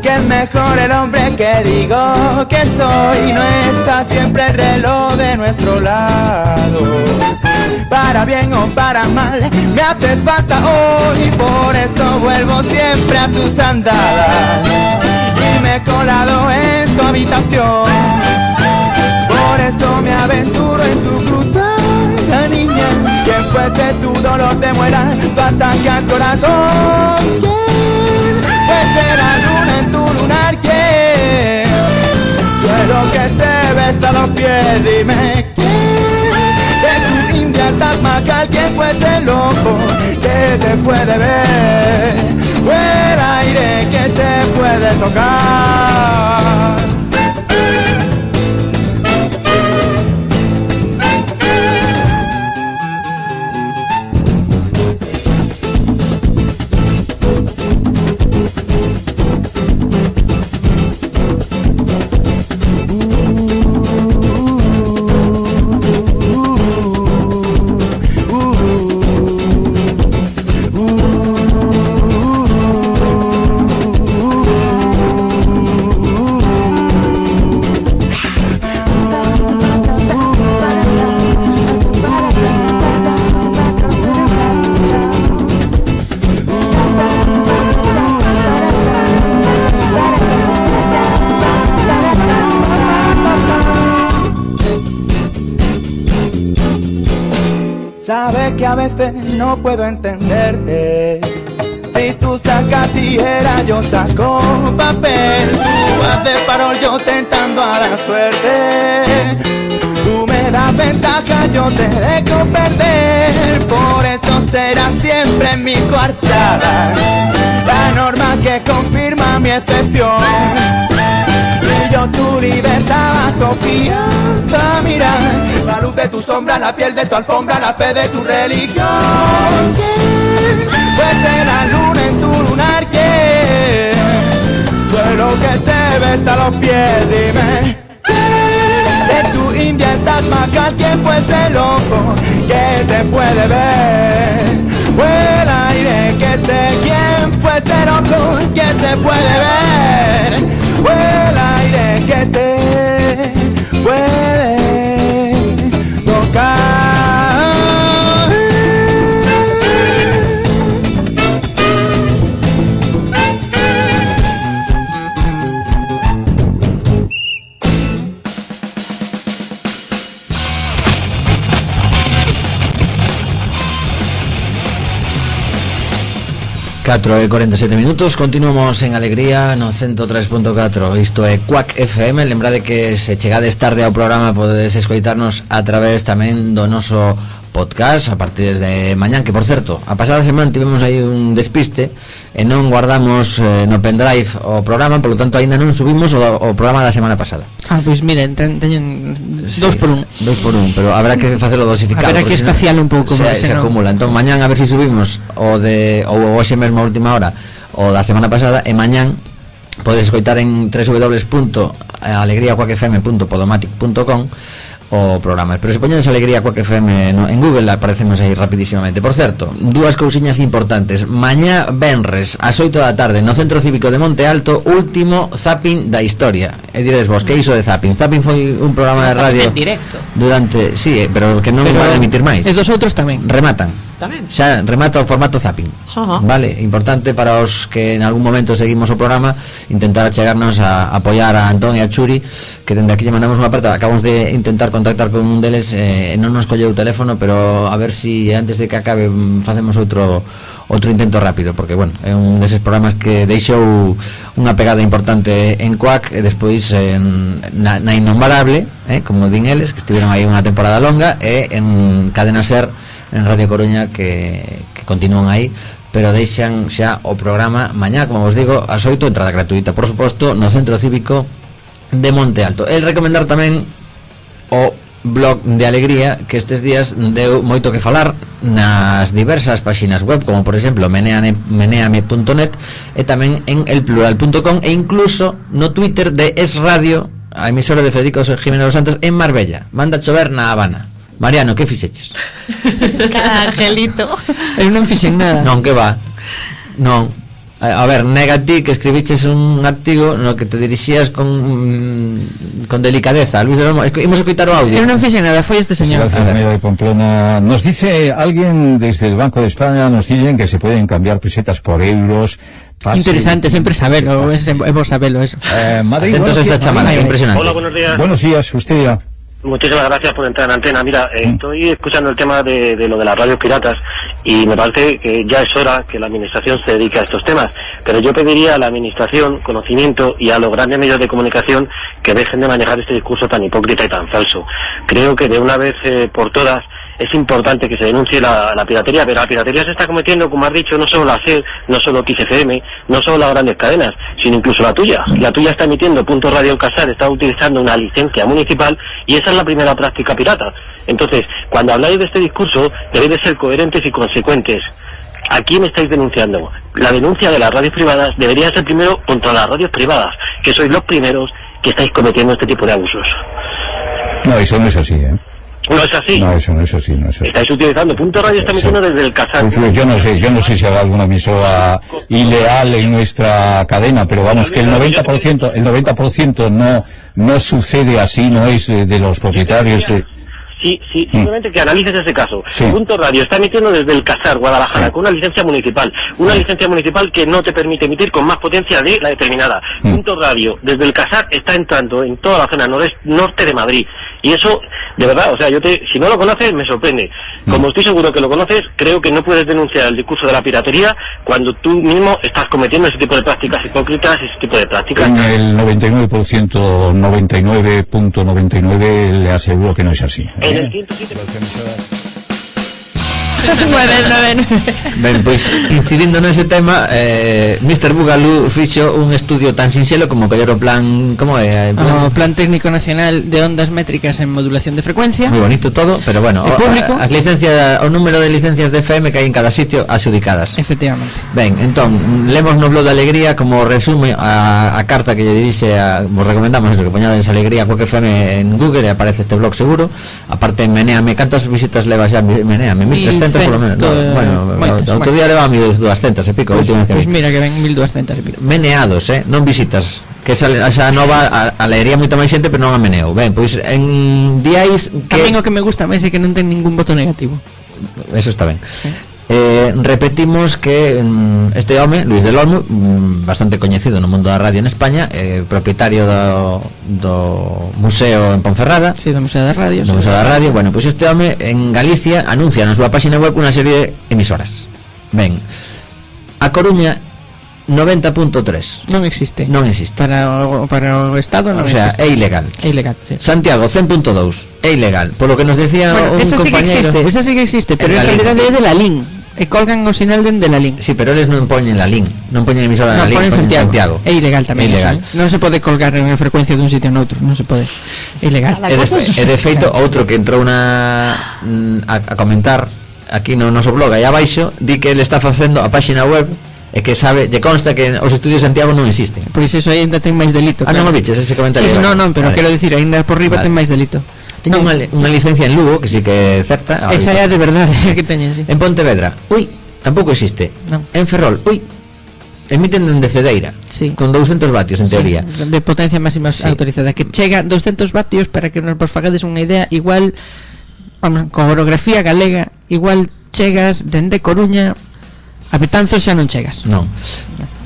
Que es mejor el hombre que digo que soy. No está siempre el reloj de nuestro lado. Para bien o para mal me haces falta hoy. Por eso vuelvo siempre a tus andadas y me he colado en tu habitación. Por eso me aventuro en tu cruzada, niña. Quien fuese tu dolor de muela, tu ataque al corazón. ¿Quién fuese la luna en tu lunar? ¿Quién? Suelo que te besa los pies, dime quién. De tu india Taj ¿quién fuese el loco que te puede ver? O el aire que te puede tocar. Sabes que a veces no puedo entenderte. Si tú sacas tijera, yo saco papel. Tú haces farol, yo tentando a la suerte. Tú me das ventaja, yo te dejo perder. Por eso será siempre mi coartada, la norma que confirma mi excepción. Y yo tu libertad bajo fianza, mira, la luz de tu sombra, la piel de tu alfombra, la fe de tu religión. Fuese la luna en tu lunar, soy lo que te besa los pies, dime. De tu India el Taj Mahal, quien fuese loco que te puede ver. O el aire que quien fuese loco que te puede ver. O el aire que te puede tocar. 4:47 minutos, continuamos en Alegría no 103.4. Isto é Quack FM. Lembrade que se chegades tarde ao programa podedes escoitarnos a través tamén do noso podcast a partir de mañán, que por certo, a pasada semana tivemos aí un despiste e non guardamos no pendrive o programa, por lo tanto aínda non subimos o programa da semana pasada. Pois miren, teñen 2x1, pero habrá que facelo dosificado, habrá que espaciar un pouco máis, se acumula. Entón mañán a ver se subimos o hoxe mesmo a última hora o da semana pasada, e mañán podes escoitar en www.alegriaquackfm.podomatic.com o programa. Pero se poñedes Alegría Quack FM en Google aparecemos aí rapidísimamente. Por certo, dúas cousiñas importantes. Mañá venres ás 8 da tarde no Centro Cívico de Monte Alto, último zapping da historia. E diredes vos, que iso de zapping? Zapping foi un programa de radio en directo durante, sí, pero que non van a emitir máis. Es dos outros tamén. Rematan. Xa remata o formato zapping. Vale, importante para os que en algún momento seguimos o programa intentar achegarnos a apoiar a Antón e a Churi, que dende aquí lle mandamos unha aperta. Acabamos de intentar contactar con un deles, non nos colleu o teléfono, pero a ver si antes de que acabe facemos outro intento rápido, porque bueno, é un deses programas que deixou unha pegada importante en Quack e despois na innombrable, como din eles, que estiveron aí unha temporada longa, e en Cadena Ser, en Radio Coruña, que continúan aí, pero deixan xa o programa mañá, como vos digo, ás 8, entrada gratuita, por suposto, no Centro Cívico de Monte Alto. El recomendar tamén o blog de Alegría, que estes días deu moito que falar nas diversas páxinas web, como por exemplo meneame.net, e tamén en elplural.com, e incluso no Twitter de Es Radio, a emisora de Federico Jiménez dos Santos en Marbella. Manda chover na Habana. Mariano, que fixeches? Cada angelito. Eu non fixen nada. Non, que va. Non. A ver, nega ti que escribiches un artigo no que te dirixías con delicadeza. Luis de Olmo, imos escoitar o audio. Eu non fixen nada, foi este señor. De Pamplona. Nos dice alguien desde el Banco de España, nos dicen que se pueden cambiar pesetas por euros. Interesante, sempre sabelo, é vos sabelo eso. Madrid, atentos a esta chamada, que impresionante. Hola, buenos días. Buenos días, usted ya. Muchísimas gracias por entrar en antena. Mira, estoy escuchando el tema de lo de las radios piratas y me parece que ya es hora que la administración se dedique a estos temas. Pero yo pediría a la administración conocimiento y a los grandes medios de comunicación que dejen de manejar este discurso tan hipócrita y tan falso. Creo que de una vez por todas es importante que se denuncie la piratería, pero la piratería se está cometiendo, como has dicho, no solo la SER, no solo XFM, no solo las grandes cadenas, sino incluso la tuya. La tuya está emitiendo Punto Radio en Casar, está utilizando una licencia municipal y esa es la primera práctica pirata. Entonces, cuando habláis de este discurso, debéis de ser coherentes y consecuentes. ¿A quién estáis denunciando? La denuncia de las radios privadas debería ser primero contra las radios privadas, que sois los primeros que estáis cometiendo este tipo de abusos. No, eso no es así, ¿eh? No es así. No, eso no es así, no es así. Estáis utilizando Punto Radio, está emitiendo desde el Casar. Yo no sé si habrá alguna emisora ilegal en nuestra cadena, pero vamos, que el 90% no sucede así, no es de los propietarios de... Sí, simplemente que analices ese caso. Sí. Punto Radio está emitiendo desde el Casar, Guadalajara, con una licencia municipal. Una licencia municipal que no te permite emitir con más potencia de la determinada. Punto Radio, desde el Casar, está entrando en toda la zona norte de Madrid. Y eso, de verdad, o sea, si no lo conoces, me sorprende. Como estoy seguro que lo conoces, creo que no puedes denunciar el discurso de la piratería cuando tú mismo estás cometiendo ese tipo de prácticas hipócritas, ese tipo de prácticas. En el 99.99 le aseguro que no es así. En el 107... Ben, pois incidindo nese tema, Mr. Bugalú fixo un estudio tan sinxelo como coller o plan, como é? O Plan Técnico Nacional de Ondas Métricas en Modulación de Frecuencia. Moi bonito todo, pero bueno, as licencias, o número de licencias de FM que hai en cada sitio adxudicadas. Efectivamente. Ben, entón, lemos no blog da Alegría como resume a carta que lle dirixe vos recomendamos eso, que poñades Alegría Quack FM en Google e aparece este blog seguro. Aparte en Menéame, cantas visitas levas ya Menéame? 1300 por lo menos. Bueno, outro día leva 1200 e pico, última vez que vi. Pois mira que ven 1200 e pico. Meneados, non visitas, que esa nova a leería moita máis xente, pero non a meneo. Ben, pois en diais que tamén o que me gusta máis é que non ten ningún voto negativo. Eso está ben. Sí. Repetimos que este home, Luis del Olmo, bastante coñecido no mundo da radio en España, propietario do museo en Ponferrada. Sí, do Museo da Radio. Bueno, pois este home en Galicia anuncia na súa página web unha serie de emisoras. Ben, A Coruña 90.3 non existe. Para o Estado non existe. O sea, é ilegal. É ilegal, sí. Santiago 100.2 é ilegal. Por lo que nos decía un compañero, esa sí que existe, pero en realidad é de la LIN. E colgan o sinal dende la LIN. Sí, pero eles non poñen la LIN, non poñen emisora na LIN, poñen Santiago. É ilegal tamén. Non se pode colgar en frecuencia dun sitio noutro, non se pode. É ilegal. E de feito outro que entrou a comentar aquí no noso blog aí abaixo, di que ele está facendo a páxina web e que sabe, lle consta que os estudios de Santiago non existen. Pois iso aí ainda ten máis delito. Non o viches ese comentario? Sí, non, pero quero dicir, ainda por riba ten máis delito. Teño unha licencia en Lugo, que sí que é certa. Esa é de verdade que teñen, sí. En Pontevedra, tampouco existe. En Ferrol, emiten dende Cedeira, sí, con 200 vatios en teoría, de potencia máxima autorizada, que chega 200 vatios, para que nos fagades unha idea, igual, vamos, con orografía galega, igual chegas dende Coruña a Betanzos, xa non chegas. Non.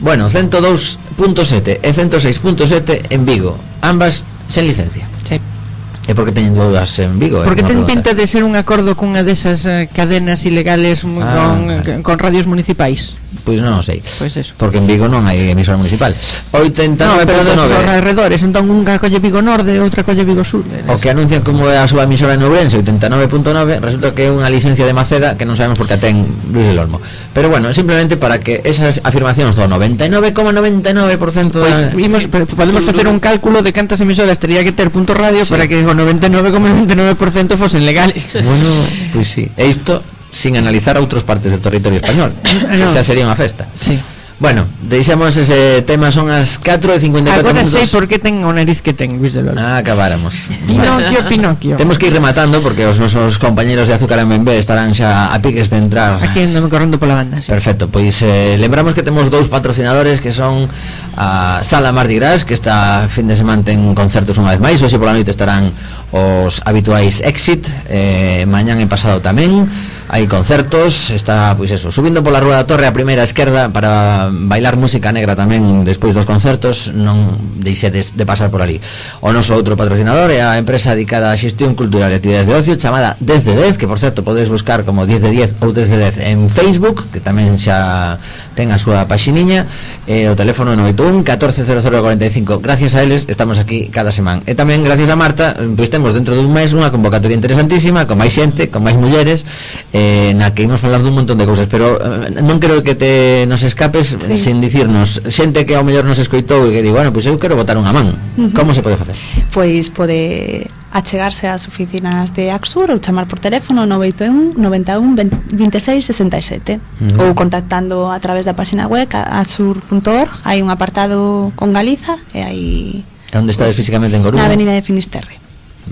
Bueno, 102.7 e 106.7 en Vigo, ambas sen licencia. Sí. E porque teñen dúas en Vigo? Porque ten pinta de ser un acordo cunha desas cadenas ilegales con radios municipais. Pois non sei. Pois eso. Porque en Vigo non hai emisora municipal. 89.9. No, pero dos alrededores, entón unha colle Vigo Norte e outra colle Vigo Sur. O que anuncian como é a súa emisora en Ourense, 89.9, resulta que é unha licencia de Maceda que non sabemos por que ten Luis del Olmo. Pero bueno, simplemente para que esas afirmacións do 99,99% podemos facer un cálculo de cantas emisoras tería que ter punto radio, sí, para que o 99,99% fosen legales. Bueno, pois sí. E isto sin analizar outras partes do territorio español. Esa sería unha festa. Sí. Bueno, deixamos ese tema, son as 4:54 agora minutos. Sei por que ten o nariz que ten Luis del Olmo. Acabáramos. Pinocchio. Temos que ir rematando porque os nosos compañeros de Azúcar en Benbé estarán xa a piques de entrar. Aquí andame correndo pola banda, sí. Perfecto, pois lembramos que temos dous patrocinadores que son a Sala Mardi Gras, que esta fin de semana ten concertos unha vez máis. Hoxe pola noite estarán os habituais Exit, mañán e pasado tamén hai concertos. Está, pois eso, subindo pola Rúa da Torre a primeira esquerda para bailar música negra tamén despois dos concertos. Non deixedes de pasar por ali. O noso outro patrocinador é a empresa dedicada a xestión cultural e actividades de ocio chamada 10 de 10, que por certo podedes buscar como 10 de 10 ou 10 de 10 en Facebook, que tamén xa ten a súa paxiniña, e o teléfono 981 140045. Gracias a eles estamos aquí cada semana. E tamén gracias a Marta, pois temos dentro dun mes unha convocatoria interesantísima, con máis xente, con máis mulleres, na que imos falar dun montón de cousas, pero non creo que te nos escapes, sí, sin dicirnos xente que ao mellor nos escoitou e que di, bueno, pois eu quero botar unha man. Como se pode facer? Pois pode achegarse ás oficinas de Axur ou chamar por teléfono 981 91 26 67 ou contactando a través da página web axur.org. Hai un apartado con Galiza e hai... Onde estades físicamente en Coruña? Na avenida de Finisterre.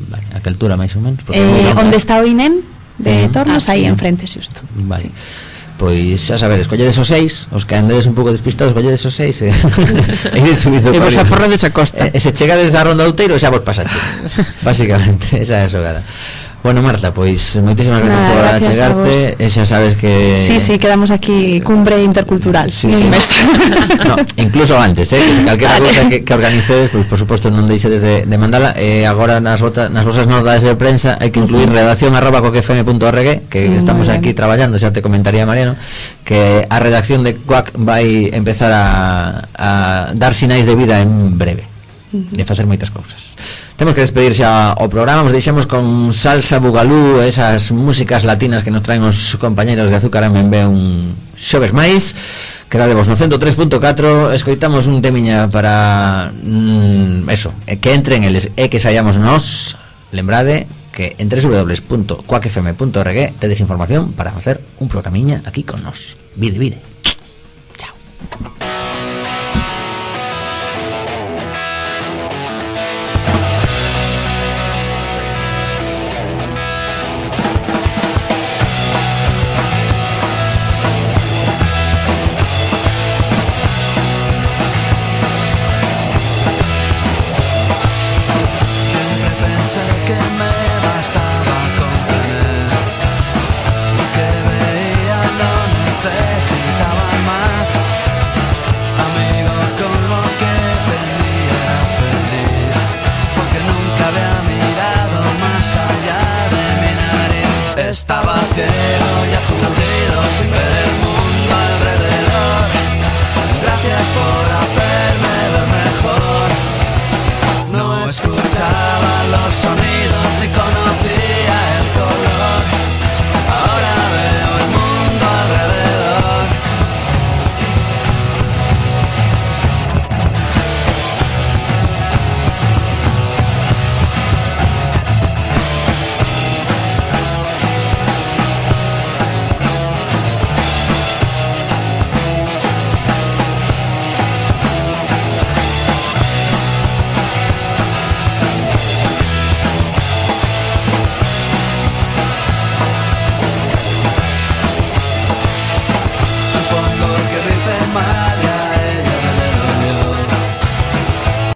Vale, a que altura máis ou menos? Onde está o INEM de Tornos, aí enfrente, xusto. Vale. Sí. Pois xa sabedes, colledes os 6, os que andedes un pouco despistados, colledes os 6 e ir subindo. E vos aforrades a costa. E se chegades a Ronda Outeiro xa vos pasaches. Básicamente, esa é a xogada. Bueno, Marta, pois moitísimas gracias por achegarte. E xa sabes que... Sí, quedamos aquí cumbre intercultural, sí, un mes. No, incluso antes, que se calquera cousa que organicedes, pois por suposto non deixedes de mandala. E agora nas vosas notas de prensa hai que incluir redacción@coquefm.org, que estamos aquí traballando, xa te comentaría Mariano, que a redacción de Quack vai empezar a dar sinais de vida en breve. de facer moitas cousas. Temos que despedir xa o programa. Nos deixamos con Salsa Bugalú, esas músicas latinas que nos traen os compañeros de Azúcar MB un xoves máis. Quedadevos no 103.4. Escoitamos un temiña para eso, que entren eles e que saíamos nós. Lembrade que en www.cuacfm.org tedes información para facer un programiña aquí con nós. Vide. Chao. Estaba ciego y aturdido sin ver